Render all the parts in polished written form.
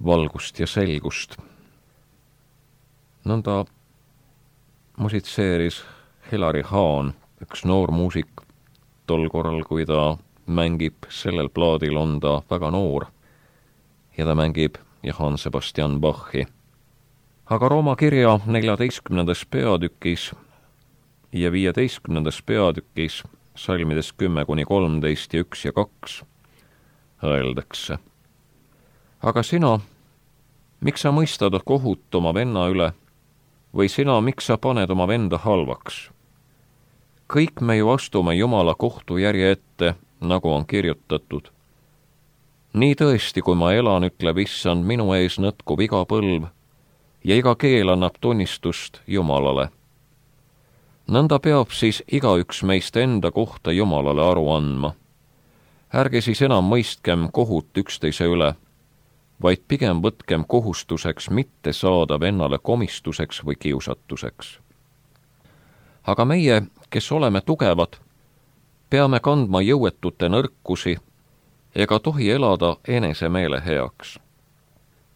valgust ja selgust. Nõnda musitseeris Hilari Hahn, üks noor muusik, tol korral, kui ta mängib sellel plaadil, on ta väga noor ja ta mängib Johann Sebastian Bachi. Aga Rooma kirja 14. peatükis ja 15. peatükis salmides 10-13 ja 1 ja 2 öeldakse: aga sina, miks sa mõistad kohut oma venna üle, või sina, miks sa paned oma venda halvaks? Kõik me ju astume Jumala kohtujärje ette, nagu on kirjutatud. Nii tõesti, kui ma elan, ütleb Issand, minu ees nõtkub iga põlv ja iga keel annab tunnistust Jumalale. Nõnda peab siis igaüks meist enda kohta Jumalale aru andma. Ärge siis enam mõistkem kohut üksteise üle, vaid pigem võtkem kohustuseks mitte saada vennale komistuseks või kiusatuseks. Aga meie, kes oleme tugevad, peame kandma jõuetute nõrkusi ega tohi elada enesemeele heaks.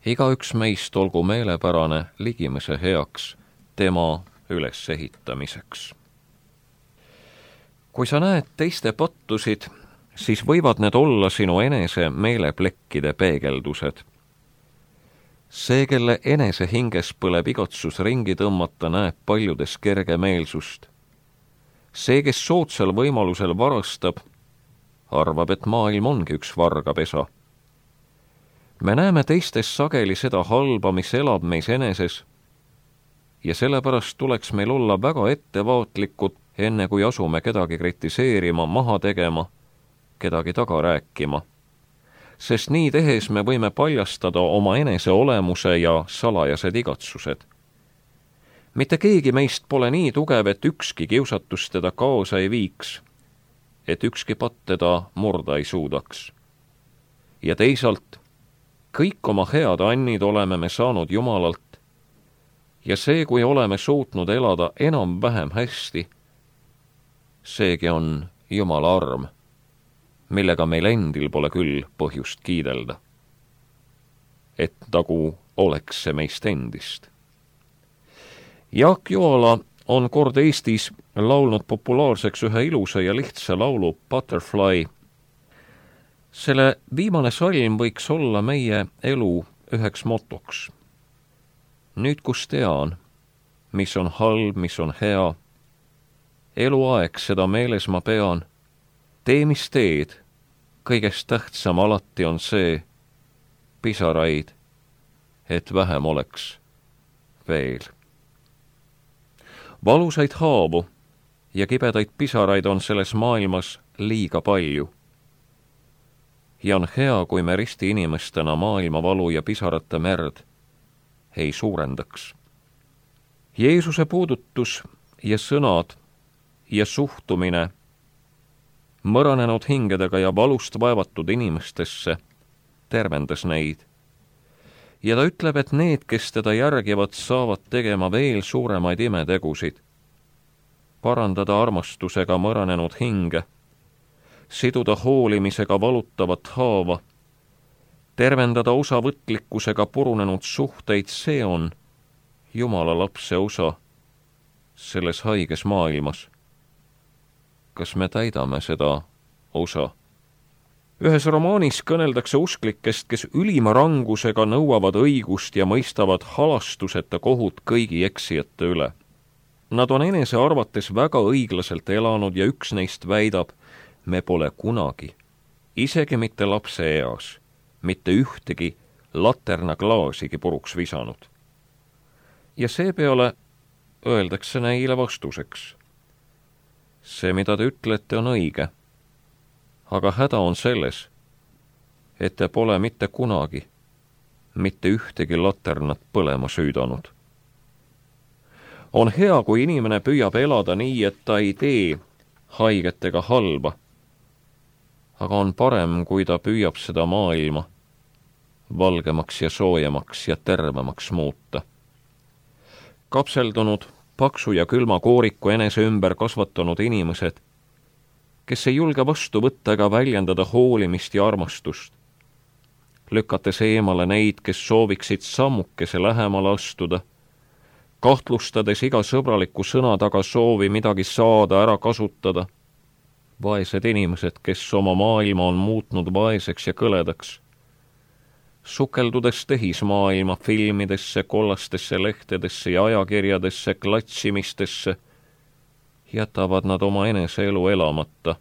Igaüks meist olgu meelepärane ligimese heaks tema ülesehitamiseks. Kui sa näed teiste pattusid, siis võivad need olla sinu enese meeleplekkide peegeldused. See, kelle enese hinges põleb igatsus ringi tõmmata, näeb paljudes kergemeelsust. See, kes soodsal võimalusel varastab, arvab, et maailm ongi üks vargapesa. Me näeme teistes sageli seda halba, mis elab meis eneses, ja sellepärast tuleks meil olla väga ettevaatlikud, enne kui asume kedagi kritiseerima, maha tegema, kedagi taga rääkima. Sest nii tehes me võime paljastada oma enese olemuse ja salajased igatsused. Mitte keegi meist pole nii tugev, et ükski kiusatus teda kaasa ei viiks, et ükski patt teda murda ei suudaks. Ja teisalt, kõik oma head annid oleme me saanud Jumalalt, ja see, kui oleme suutnud elada enam-vähem hästi, seegi on Jumala arm, millega meil endil pole küll põhjust kiidelda. Et nagu oleks see meist endist. Jaak Joala on kord Eestis laulnud populaarseks ühe ilusa ja lihtsa laulu Butterfly. Selle viimane salm võiks olla meie elu üheks motoks. Nüüd, kus tean, mis on halb, mis on hea, eluaeg seda meeles ma pean, tee mis teed, kõigest tähtsam alati on see, pisaraid, et vähem oleks veel. Valusaid haavu ja kibedaid pisaraid on selles maailmas liiga palju. Ja on hea, kui me risti inimestena maailma valu ja pisarate merd ei suurendaks. Jeesuse puudutus ja sõnad ja suhtumine mõranenud hingedega ja valust vaevatud inimestesse tervendas neid. Ja ta ütleb, et need, kes teda järgivad, saavad tegema veel suuremaid imetegusid, parandada armastusega mõranenud hinge, siduda hoolimisega valutavat haava, tervendada osavõtlikkusega purunenud suhteid, see on Jumala lapse osa selles haiges maailmas. Kas me täidame seda osa? Ühes romaanis kõneldakse usklikest, kes ülima rangusega nõuavad õigust ja mõistavad halastuseta kohut kõigi eksijate üle. Nad on enese arvates väga õiglaselt elanud ja üks neist väidab, me pole kunagi, isegi mitte lapse eas, mitte ühtegi laternaklaasigi puruks visanud. Ja seepeale öeldakse neile vastuseks. See, mida te ütlete, on õige, aga häda on selles, et te pole mitte kunagi mitte ühtegi laternat põlema süüdanud. On hea, kui inimene püüab elada nii, et ta ei tee haigetega halba, aga on parem, kui ta püüab seda maailma valgemaks ja soojemaks ja tervemaks muuta. Kapseldunud, paksu ja külma kooriku enese ümber kasvatanud inimesed, kes ei julge vastu võtta ega väljendada hoolimist ja armastust, lükates eemale neid, kes sooviksid sammukese lähemale astuda, kahtlustades iga sõbraliku sõna taga soovi midagi saada, ära kasutada. Vaesed inimesed, kes oma maailma on muutnud vaeseks ja kõledaks, sukeldudes tehismaailma filmidesse, kollastesse lehtedesse ja ajakirjadesse, klatsimistesse, jätavad nad oma enese elu elamata.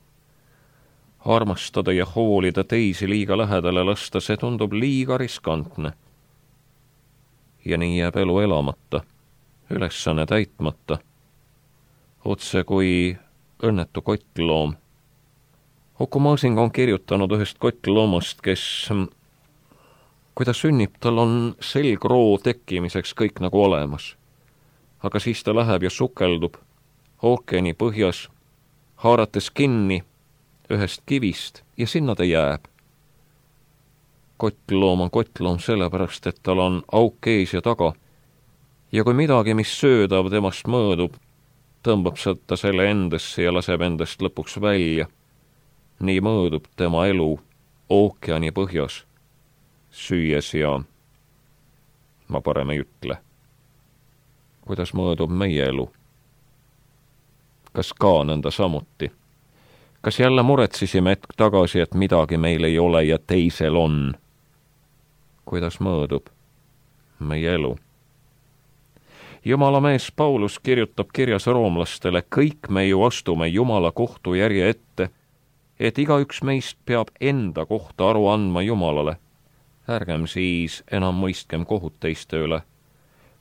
Armastada ja hoolida teisi liiga lähedale lasta, see tundub liiga riskantne. Ja nii jääb elu elamata, ülesanne täitmata, otse kui õnnetu kottloom. Uku Masing on kirjutanud ühest kottloomast, kes, kui ta sünnib, tal on selgroo tekkimiseks kõik nagu olemas. Aga siis ta läheb ja sukeldub ookeani põhjas, haarates kinni ühest kivist ja sinna ta jääb. Kottloom on kottloom sellepärast, et tal on auk ees ja taga. Ja kui midagi, mis söödav temast mõõdub, tõmbab ta selle endasse ja laseb endast lõpuks välja. Nii mõõdub tema elu ookeani põhjas, süües ja ma parem ei ütle. Kuidas mõõdub meie elu? Kas ka nõnda samuti? Kas jälle muretsisime hetk tagasi, et midagi meil ei ole ja teisel on? Kuidas mõõdub meie elu? Jumala mees Paulus kirjutab kirjas roomlastele, kõik me ju astume Jumala kohtujärje ette, et igaüks meist peab enda kohta aru andma Jumalale. Ärgem siis enam mõistkem kohut teiste üle,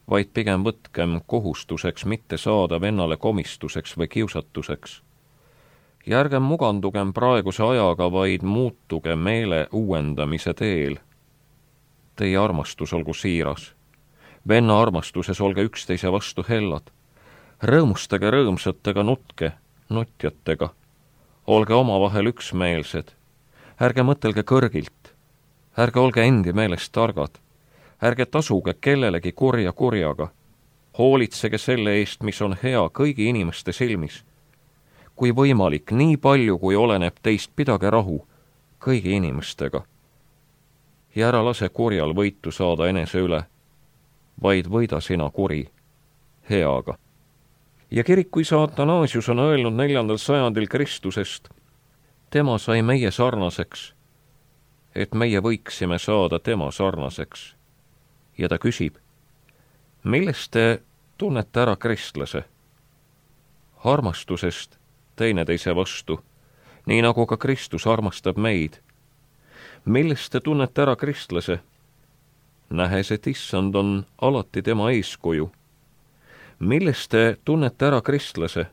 vaid pigem võtkem kohustuseks mitte saada vennale komistuseks või kiusatuseks. Ja ärgem mugandugem praeguse ajaga, vaid muutuge meele uuendamise teel. Teie armastus olgu siiras. Venna armastuses olge üksteise vastu hellad. Rõõmustage rõõmsatega, nutke nutjatega. Olge omavahel üksmeelsed. Ärge mõtelge kõrgilt. Ärge olge endi meelest targad. Ärge tasuge kellelegi kurja kurjaga. Hoolitsege selle eest, mis on hea kõigi inimeste silmis. Kui võimalik, nii palju, kui oleneb teist, pidage rahu kõigi inimestega. Ja ära lase kurjal võitu saada enese üle, vaid võida sina kuri heaga. Ja kirikuisa Athanasius on öelnud 4. sajandil Kristusest, tema sai meie sarnaseks, et meie võiksime saada tema sarnaseks. Ja ta küsib, millest te tunnete ära kristlase? Armastusest teineteise vastu, nii nagu ka Kristus armastab meid. Millest te tunnete ära kristlase? Nähes, et issand on alati tema eeskuju. Millest te tunnete ära kristlase?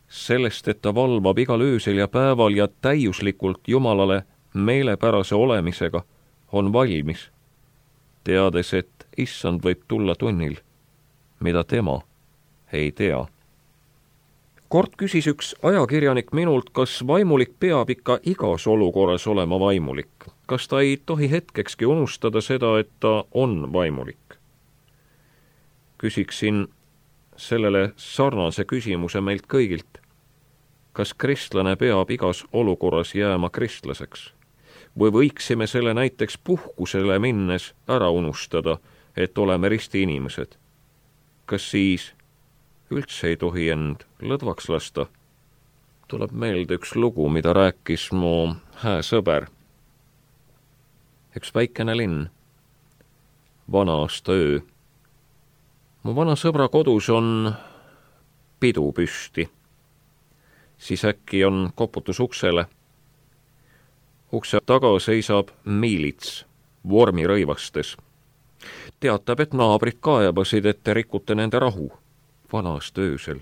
Sellest, et ta valvab igal öösel ja päeval ja täiuslikult Jumalale meelepärase olemisega on valmis, teades, et issand võib tulla tunnil, mida tema ei tea. Kord küsis üks ajakirjanik minult, kas vaimulik peab ikka igas olukorras olema vaimulik. Kas ta ei tohi hetkekski unustada seda, et ta on vaimulik? Küsiksin sellele sarnase küsimuse meilt kõigilt. Kas kristlane peab igas olukorras jääma kristlaseks? Või võiksime selle näiteks puhkusele minnes ära unustada, et oleme risti inimesed? Kas siis üldse ei tohi end lõdvaks lasta? Tuleb meelde üks lugu, mida rääkis mu hää sõber. Üks väikene linn, vana-aasta öö. Mu vana sõbra kodus on pidu püsti. Siis äkki on koputus uksele. Ukse taga seisab miilits vormirõivastes. Teatab, et naabrid kaebasid, et te rikute nende rahu. Vana-aasta öösel,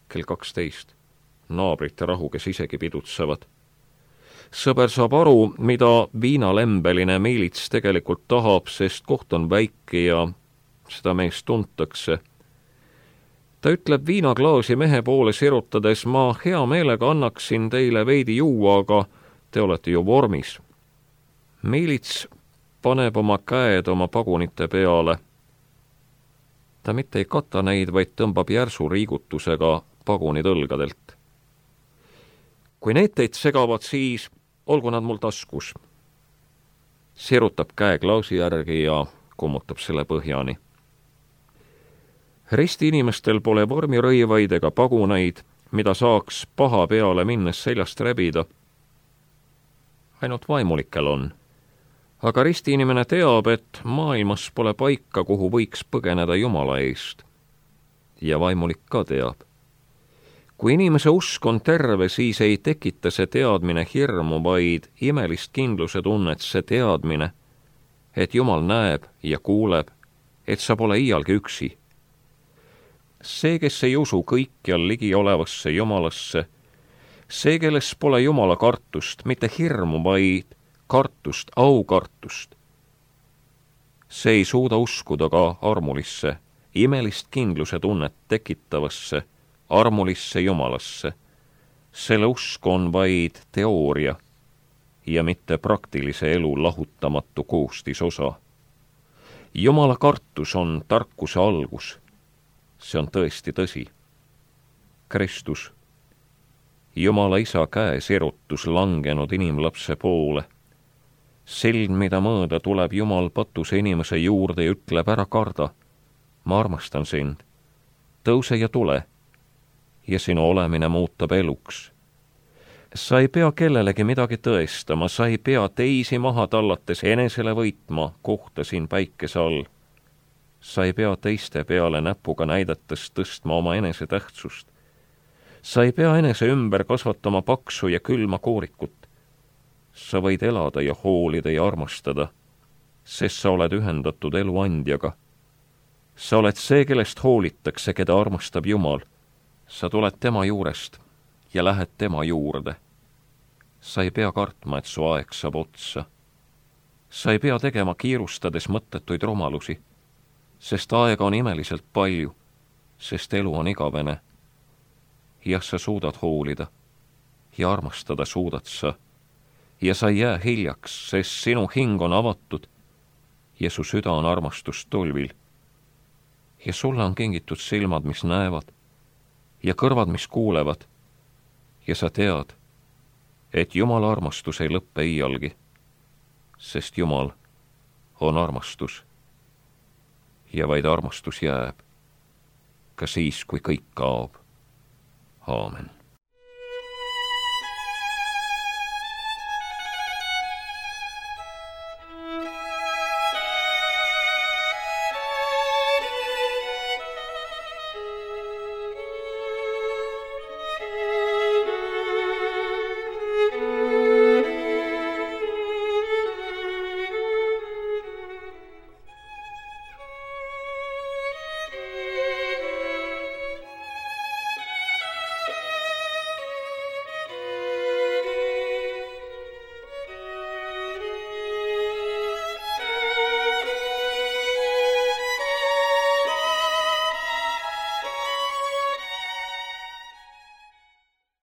kell 12. Naabrite rahu, kes isegi pidutsevad. Sõber saab aru, mida viinalembeline miilits tegelikult tahab, sest koht on väike ja seda meest tuntakse. Ta ütleb viinaklaasi mehe poole sirutades, ma hea meelega annaksin teile veidi juua, aga te olete ju vormis. Miilits paneb oma käed oma pagunite peale. Ta mitte ei kata neid, vaid tõmbab järsu riigutusega pagunid õlgadelt. Kui need teid segavad, siis olgu nad mul taskus. sirutab käe klaasi järgi ja kummutab selle põhjani. Risti inimestel pole vormirõivaid ega paguneid, mida saaks paha peale minnes seljast rebida. Ainult vaimulikel on. Aga risti inimene teab, et maailmas pole paika, kuhu võiks põgeneda Jumala eest. Ja vaimulik ka teab. Kui inimese usk on terve, siis ei tekita see teadmine hirmu, vaid imelist kindluse tunnet, see teadmine, et Jumal näeb ja kuuleb, et sa pole iialgi üksi. See, kes ei usu kõikjal ligi olevasse Jumalasse, see, kelles pole Jumala kartust, mitte hirmu, vaid kartust, aukartust. See ei suuda uskuda ka armulisse, imelist kindluse tunnet tekitavasse, armulisse Jumalasse. Selle usk on vaid teooria ja mitte praktilise elu lahutamatu koostisosa. Jumala kartus on tarkuse algus. See on tõesti tõsi. Kristus, Jumala Isa käe sirutus langenud inimlapse poole. Silm, mida mõõda, tuleb Jumal patuse inimese juurde ja ütleb, ära karda. Ma armastan sind. Tõuse ja tule. Ja sinu olemine muutab eluks. Sa ei pea kellelegi midagi tõestama, sa ei pea teisi maha tallates enesele võitma kohta siin päikese all. Sa ei pea teiste peale näpuga näidates tõstma oma enese tähtsust. Sa ei pea enese ümber kasvatama paksu ja külma koorikut. Sa võid elada ja hoolida ja armastada, sest sa oled ühendatud eluandjaga. Sa oled see, kellest hoolitakse, keda armastab Jumal. Sa tuled tema juurest ja lähed tema juurde. Sa ei pea kartma, et su aeg saab otsa. Sa ei pea tegema kiirustades mõttetuid rumalusi, sest aega on imeliselt palju, sest elu on igavene. Jah, sa suudad hoolida ja armastada suudad sa ja sa ei jää hiljaks, sest sinu hing on avatud ja su süda on armastust tulvil. Ja sulle on kingitud silmad, mis näevad ja kõrvad, mis kuulevad ja sa tead, et Jumala armastus ei lõppe iialgi, sest Jumal on armastus. Ja vaid armastus jääb, ka siis, kui kõik kaob. Aamen.